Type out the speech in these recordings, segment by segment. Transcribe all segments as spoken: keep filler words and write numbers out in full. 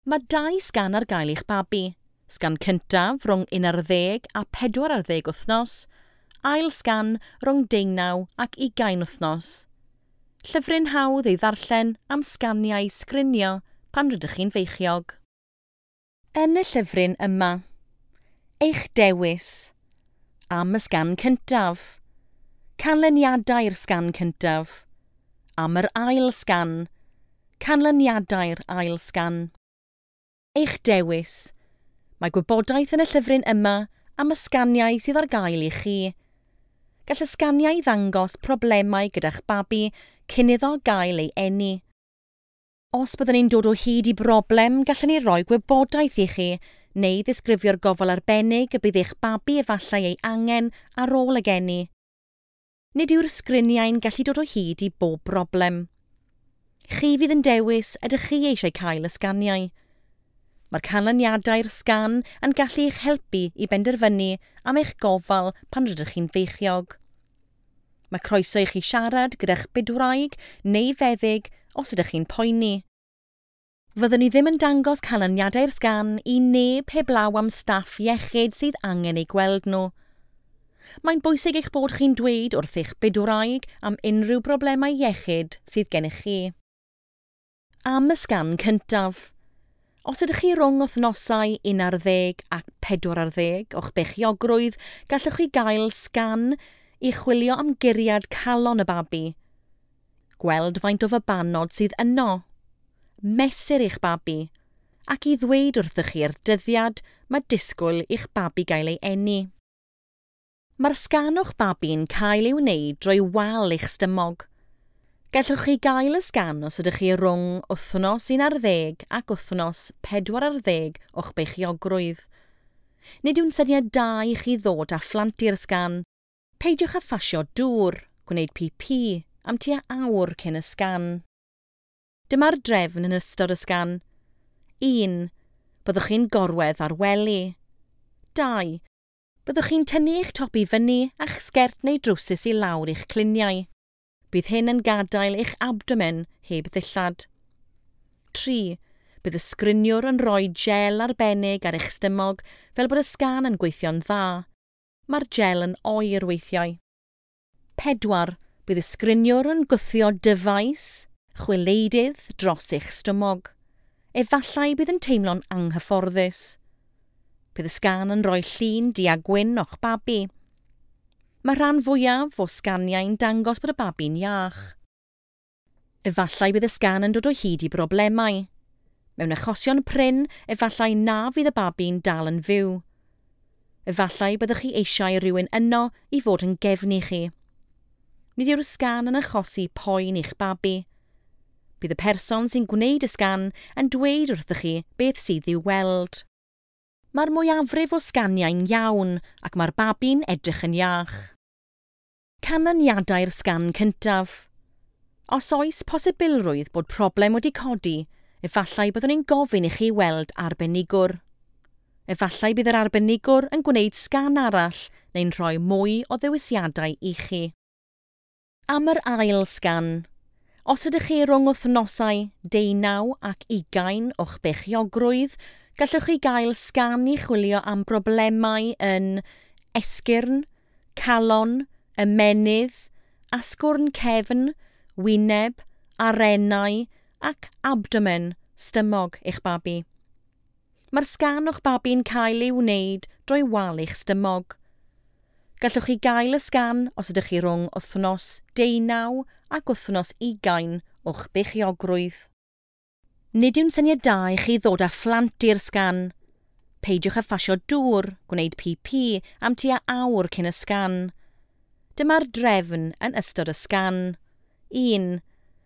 Mae dau sgan ar gael i'ch babi. Sgan cyntaf rhwng un ar ddeg a pedwar ar ddeg wythnos, ail sgan rhwng deunaw ac ugain wythnos. Llyfryn hawdd ei ddarllen am sganiau sgrinio pan rydych chi'n feichiog. Yn y llyfryn yma, eich dewis am y sgan cyntaf, canlyniadau'r sgan cyntaf, am yr ail sgan, canlyniadau'r ail sgan. Eich dewis. Mae gwybodaeth yn y llyfryn yma am y sganiau sydd ar gael i chi. Gall y sganiau ddangos problemau gyda'ch babi cyn iddo gael ei eni. Os byddwn ni'n dod o hyd i broblem, gallwn ni roi gwybodaeth i chi neu ddisgrifio'r gofal arbennig y bydd eich babi efallai ei angen ar ôl y geni. Nid yw'r sgriniau'n gallu dod o hyd i bob broblem. Chi fydd yn dewis ydych chi eisiau cael y sganiau. Mae'r canlyniadau'r sgan yn gallu eich helpu i benderfynu am eich gofal pan rydych chi'n feichiog. Mae croeso i chi siarad gyda'ch bydwraig neu feddyg os ydych chi'n poeni. Fyddwn ni ddim yn dangos canlyniadau'r sgan i neb heblaw am staff iechyd sydd angen eu gweld nhw. Mae'n bwysig eich bod chi'n dweud wrth eich bydwraig am unrhyw broblemau iechyd sydd gennych chi. Am y sgan cyntaf. Os ydych chi rhwng wythnosau un ar ddeg ac pedwar ar ddeg o'ch beichiogrwydd, gallwch chi gael sgan i chwilio am guriad calon y babi. Gweld faint o fabanod sydd yno. Mesur eich babi, ac i ddweud wrthych chi'r dyddiad mae disgwyl i'ch babi gael ei eni. Mae'r sgan o'ch babi'n cael ei wneud drwy wal eich stumog. Gallwch chi gael y sgan os ydych chi rhwng wythnos un ar ddeg ac wythnos pedwar ar ddeg o'ch beichiogrwydd. Nid yw'n syniad da i chi ddod â phlant i'r sgan. Peidiwch â phasio dŵr, gwneud pi-pi am tua awr cyn y sgan. Dyma'r drefn yn ystod y sgan. un. Byddwch chi'n gorwedd ar wely. dau. Byddwch chi'n tynnu eich top i fyny a'ch sgert neu drowsus i lawr i'ch cluniau. Bydd hyn yn gadael eich abdomen heb ddillad. tri. Bydd y sgriniwr yn rhoi gel arbennig ar eich stumog fel bod y sgan yn gweithio'n dda. Mae'r gel yn oer weithiau. pedwar. Bydd y sgriniwr yn gwthio dyfais, chwileidydd dros eich stumog. Efallai bydd yn teimlo'n anghyfforddus. Bydd y sgan yn rhoi llun du a gwyn o'ch babi. Mae rhan fwyaf o sganiau'n dangos bod y babi'n iach. Efallai bydd y sgan yn dod o hyd i broblemau. Mewn achosion prin, efallai na fydd y babi'n dal yn fyw. Efallai byddwch chi eisiau rhywun yno i fod yn gefn i chi. Nid yw'r sgan yn achosi poen i'ch babi. Bydd y person sy'n gwneud y sgan yn dweud wrthych chi beth sydd i'w weld. Mae'r mwyafrif o sganiau'n iawn ac mae'r babi'n edrych yn iach. Canlyniadau'r sgan cyntaf. Os oes posibilrwydd bod problem wedi codi, efallai byddwn ni'n gofyn i chi weld arbenigwr. Efallai bydd yr arbenigwr yn gwneud sgan arall neu'n rhoi mwy o ddewisiadau i chi. Am yr ail sgan. Os ydych chi rhwng wythnosau deunaw ac ugain o'ch beichiogrwydd, gallwch chi gael sgan i chwilio am broblemau yn esgyrn, calon, ymennydd, asgwrn cefn, wyneb, arennau ac abdomen, stumog eich babi. Mae'r sgan o'ch babi'n cael ei wneud drwy wal eich stumog. Gallwch chi gael y sgan os ydych chi rhwng wythnos deunaw ac wythnos ugain o'ch beichiogrwydd. Nid yw'n syniad da i chi ddod â phlant i'r sgan. Peidiwch â phasio dŵr, gwneud pi-pi am tua awr cyn y sgan. Dyma'r drefn yn ystod y sgan. un.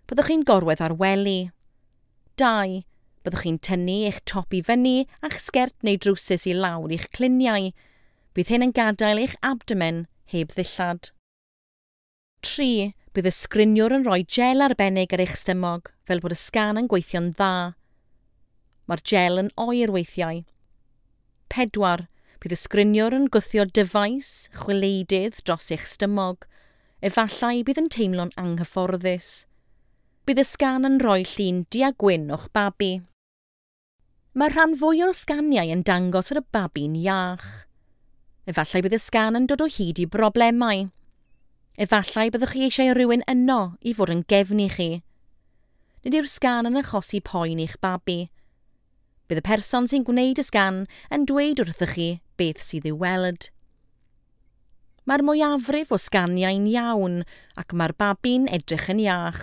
Byddwch chi'n gorwedd ar wely. dau. Byddwch chi'n tynnu eich top i fyny a'ch sgert neu drowsus i lawr i'ch cluniau. Bydd hyn yn gadael eich abdomen heb ddillad. tri. Bydd y sgriniwr yn rhoi gel arbennig ar eich stumog fel bod y sgan yn gweithio'n dda. Mae'r gel yn oer weithiau. pedwar. Bydd y sgriniwr yn gwthio dyfais, chwileidydd dros eich stumog. Efallai bydd yn teimlo'n anghyfforddus. Bydd y sgan yn rhoi llun du a gwyn o'ch babi. Mae rhan fwy o'r sganiau yn dangos fod y babi'n iach. Efallai bydd y sgan yn dod o hyd i broblemau. Efallai byddwch chi eisiau rhywun yno i fod yn gefn i chi. Nid yw'r sgan yn achosi poen i'ch babi. Bydd y person sy'n gwneud y sgan yn dweud wrthych chi beth sydd i'w weld. Mae'r mwyafrif o sganiau'n iawn ac mae'r babi'n edrych yn iach.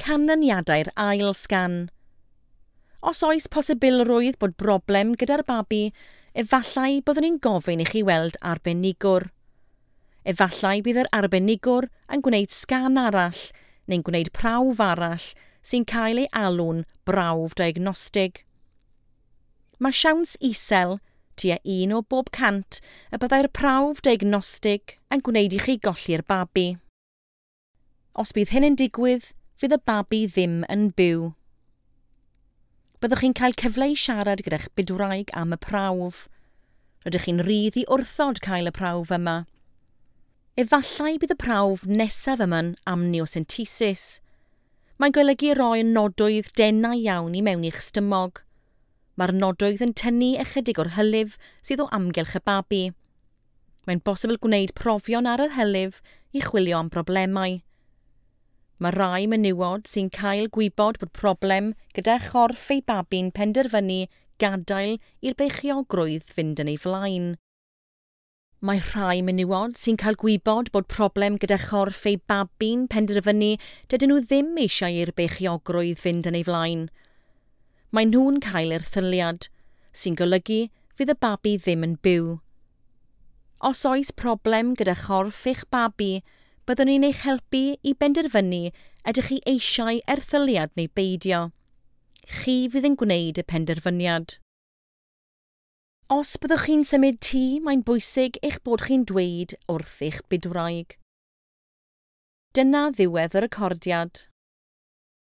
Canlyniadau'r ail sgan. Os oes posibilrwydd bod broblem gyda'r babi, efallai byddwn ni'n gofyn i chi weld arbenigwr. Efallai bydd yr arbenigwr yn gwneud sgan arall neu'n gwneud prawf arall sy'n cael ei alw'n brawf diagnostig. Mae siawns isel, tua un o bob cant, y byddai'r prawf diagnostig yn gwneud i chi golli'r babi. Os bydd hyn yn digwydd, fydd y babi ddim yn byw. Byddwch chi'n cael cyfle i siarad gyda'ch bydwraig am y prawf. Rydych chi'n rhydd i wrthod cael y prawf yma. Efallai bydd y prawf nesaf yma'n amniocentesis. Mae'n golygu roi nodwydd denau iawn i mewn i'ch stymog. Mae'r nodwydd yn tynnu ychydig o'r hylif sydd o amgylch y babi. Mae'n bosibl gwneud profion ar yr hylif i chwilio am broblemau. Mae rai menywod sy'n cael gwybod bod problem gyda chorff eu babi'n penderfynu gadael i'r beichiogrwydd fynd yn ei flaen. Mae rhai menywod sy'n cael gwybod bod problem gyda chorff eu babi'n penderfynu dydyn nhw ddim eisiau i'r beichiogrwydd fynd yn ei flaen. Mae nhw'n cael erthyliad, sy'n golygu fydd y babi ddim yn byw. Os oes problem gyda chorff eich babi, byddwn ni'n eich helpu i benderfynu ydych chi eisiau erthyliad neu beidio. Chi fydd yn gwneud y penderfyniad. Os byddwch chi'n symud tŷ, mae'n bwysig eich bod chi'n dweud wrth eich bydwraig. Dyna ddiwedd y recordiad.